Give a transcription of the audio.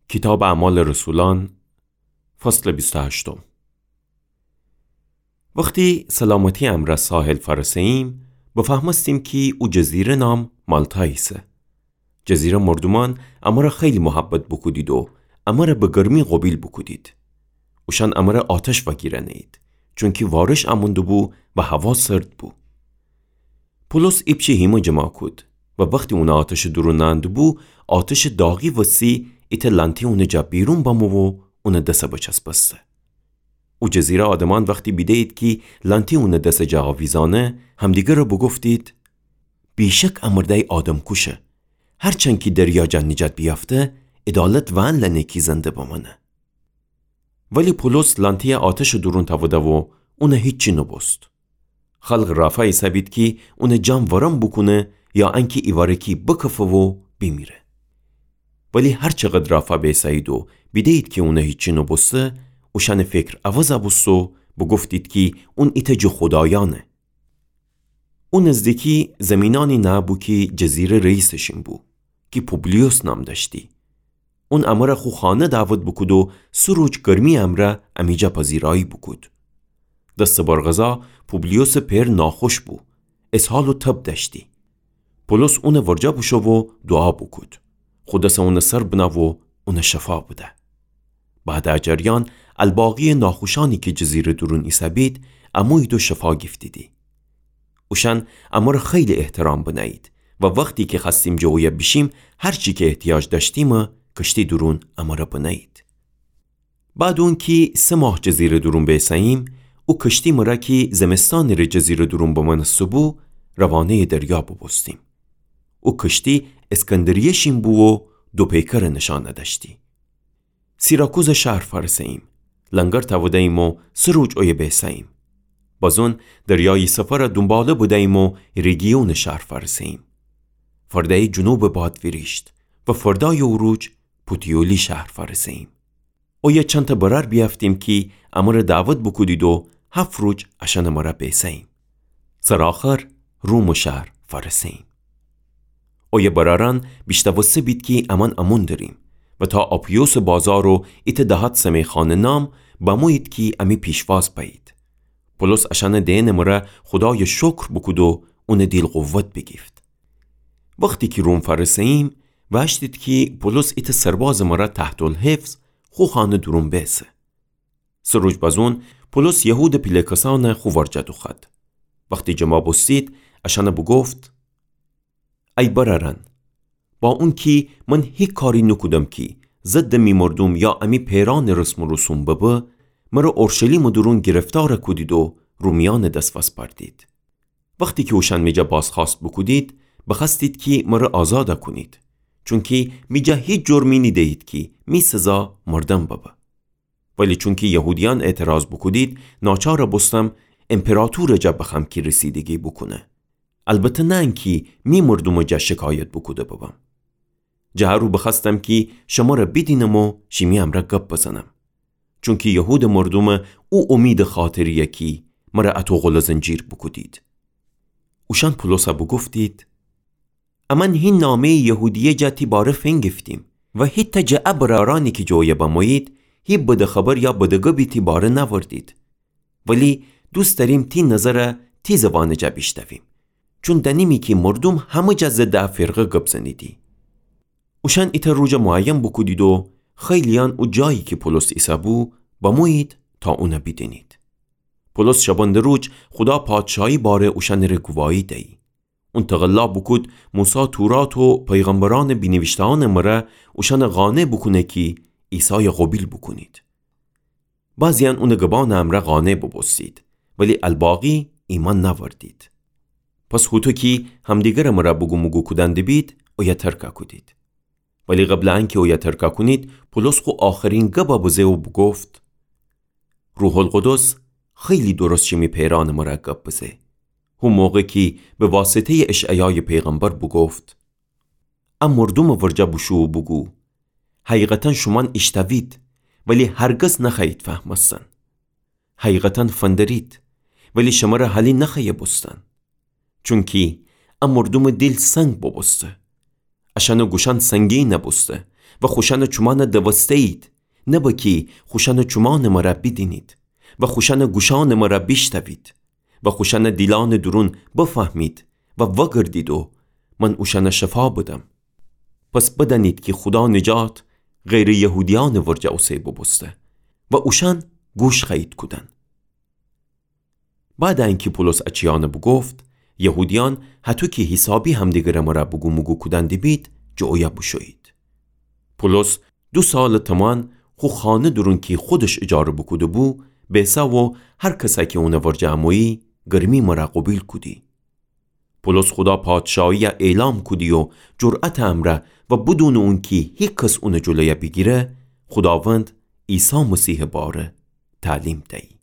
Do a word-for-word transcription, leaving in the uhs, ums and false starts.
کیتابٚ اعمالٚ رسولأن، فصلٚ بیست و هشتم. وختی سلامتی امرأ ساحل فأرسه‌ییم، بفهمستیم کی او جزیره نام مالتا ایسه. جزیره مردومأن امره خیلی محبت بوکودید و امره به گرمی قوبیل بوکودید. اوشأن امره آتش وأگیرأنه‌یید، چونکی وارش امون دوبو و هوا سرد بو. پولس ایپچه هیمه جمع کود و وختی اونه آتشٚ دورون نأندوبو، آتشٚ داغی وسی ایتأ لأنتی اونٚ جا بیرون بمو و اونٚ دسه بچسبسته. او جزیره آدمأن وختی بیده‌یید کی لأنتی اونٚ دسٚ جا آویزأنه، همدیگره بوگفتید: بیشک ا مردأی آدمکوشه. هرچند کی دریا جا نیجات بیأفته، عدالت وأن لأنه کی زنده بمأنه. ولی پولس لأنتی‌یه آتشٚ دورون تأوده و اونه هیچی نوبوست. خلق رافا ایسه‌بید کی اونٚ جان ورم بوکونه یا انکی ایواره‌کی بکفه و بیمیره. ولی هرچقدر رافا بیسه‌یید و بیده‌یید کی اونه هیچی نوبوسته، اوشأنٚ فکر عوض بوست و بوگفتید کی اون ایتأ جٚه خودایأنه. او نزدیکی زیمینأنی نه‌بو کی جزیره رئیسٚ شین بو، کی پوبلیوس نام دأشتی. اون امره خو خانه دعوت بوکود و سه روج گرمی امرأ امی جا پذیرایی بوکود. دستٚ بر غذا پوبلیوسٚ پئر ناخوش بو، اسهال و تب دأشتی. پولس اونٚ ورجه بوشو و دوعا بوکود. خو دسه اونٚ سر بنه و اونه شفا بده. بعدٚ ا جریان، الباقی‌یٚ ناخوشأنی کی جزیرٚ دورون ایسه‌بید، امویید و شفا گیفتیدی. اوشأن امره خیلی احترام بنه‌یید و وختی کی خوأستیم جٚه اویه بیشیم، هرچی کی احتیاج دأشتیمه کشتی دورون امره بنه‌یید. بعدٚ اونکی سه ماه جزیرٚ دورون بیسه‌ییم، او کشتی مره کی زمستأنٚ ره جزیرٚ دورون بمأنسته‌بو، روانه‌یٚ دریا بوبوستیم. او کشتی اسکندریه شین بو و دو پیکرٚ نشأن دأشتی. سیراکوزٚ شهر فأرسه‌ییم. لنگر تأوده‌ییم و سه روج اویه بیسه‌ییم. بازون دریایی سفرٚ دونباله بده‌ییم و ریگیونٚ شهر فأرسه‌ییم. فرده‌یی جنوبٚ باد ویریشت و فردایٚ او روج پوتیولی شهر فأرسه‌ییم. اویه چندتأ برأر بیأفتیم کی امره دعوت بوکودید و هفت روج اشأنٚ مره بیسه‌ییم. سرٚ آخر رومٚ شهر فأرسه‌ییم. اویه برأرأن بیشنوسته‌بید کی امأن امون دریم و تا آپیوسٚ بازار و ایتأ دهات سمیخانٚ نام بمویید کی امی پیشواز بأیید. پولس اشأنٚ دئنٚ مره خودایٚ شکر بوکود و اونٚ دیل قوت بیگیفت. وختی کی روم فأرسه‌ییم، وأشتید کی پولس ایتأ سربازٚ مره تحت‌الحفظ خو خانه دورون بیسه. سه روج بازون پولس یهودٚ پیله کسأنه خو ورجه دوخوأد. وختی جمع بوستید، اشأنه بوگفت: ای برأرأن، با اونکی من هیچ کاری نوکودم کی ضدٚ می مردوم یا امی پئرأنٚ رسم و رسوم ببه، مره اورشلیمٚ دورون گرفتار کودید و رومیأنٚ دس وسپردید. وختی کی اوشأن می جا بازخوأست بوکودید، بخوأستید کی مره آزاد کونید، چونکی می جا هیچ جرمی نیده‌یید کی می سزا مردن ببه. ولی چونکی یهودیأن اعتراض بوکودید، ناچار بوستم امپراطورٚ جا بخوأم کی رسیدگی بوکونه. البته نه انکی می مردومٚ جا شکایت بوکوده ببم. جٚه هر او بخوأستم کی شمره بیدینم و شیمی امرأ گپ بزنم. چونکی یهودٚ مردومٚ او امیدٚ خاطریه کی مره اطو غل و زنجیر بوکودید. اوشأن پولسه بوگفتید: امأن هی نامه‌یٚ یهودیه جا تی باره فینگیفتیم و هیتأ جٚه ا برأرأنی کی جٚه اویه بمویید، هی بده خبر یا بده گبی تی باره نأوردید. ولی دوست دأریم تی نظره تی زبانٚ جا بیشنویم، چون دأنیمی کی مردوم همه جا ضدٚ ا فرقه گب زنیدی. اوشأن ایتأ روجٚ معین بوکودید و خیلییأن او جایی کی پولس ایسه‌بو بمویید تا اونه بیدینید. پولس شبانده روج خودا پادشاهی باره اوشأنٚ ره گواهی دیی. اون تقلا بوکود موسی تورات و پیغمبرأنٚ بینیویشته‌یأنٚ مره اوشأنه قانع بوکونه کی عیسایه قوبیل بوکونید. بعضییأن اونٚ گبأنٚ امرأ قانع بوبوستید، ولی الباقی ایمأن نأوردید. پس هوطو کی همدیگرٚ مره بوگوموگو کودن دبید، اویه ترکه کودید. ولی قبلٚ انکی اویه ترکه کونید، پولس خو آخرین گبه بزه و بوگفت: روح‌القدس خیلی درست شیمی پئرأنٚ مره گب بزه، هو موقع کی به واسطه‌یٚ اشعیایٚ پیغمبر بوگفت: ا مردومٚ ورجه بوشو و بوگو، حقیقتاً شومأن ایشتوید، ولی هرگز نخوأیید فهمستن. حقیقتاً فندرید، ولی شمره هلی نخوأیه بوستن. چونکی ا مردومٚ دیل سنگ بوبوسته. اشأنٚ گوشأن سنگین بوسته و خوشأنٚ چومأنَ دوسته‌یید، نه بأ کی خوشأنٚ چومأنٚ مرا بیدینید و خوشأنٚ گوشأنٚ مرا بیشتوید و خوشأنٚ دیلأنٚ دورون بفهمید و وأگردید و من اوشأنَ شفا بدم. پس بدأنید کی خودا نجات غیرٚ یهودیأنٚ ورجه اوسه بوبوسته و اوشأن گوش خوأیید کودن. بعدٚ انکی پولس ا چیأنَ بوگفت، یهودیأن هطو کی حیسابی همدیگرٚ مرا بوگوموگو کودن دیبید، جٚه اویه بوشویید. پولس دو سالٚ تومان خو خانه دورون کی خودش اجاره بوکوده‌بو، بیسه و هر کسَ کی اونٚ ورجه امویی، گرمی مرا قوبیل کودی. پولس خودا پادشاهیَ اعلام کودی و جرأتٚ امرأ و بدونٚ اونکی هیکس اونٚ جلویَ بیگیره، خوداوند عیسی مسیحٚ باره تعلیم دیی.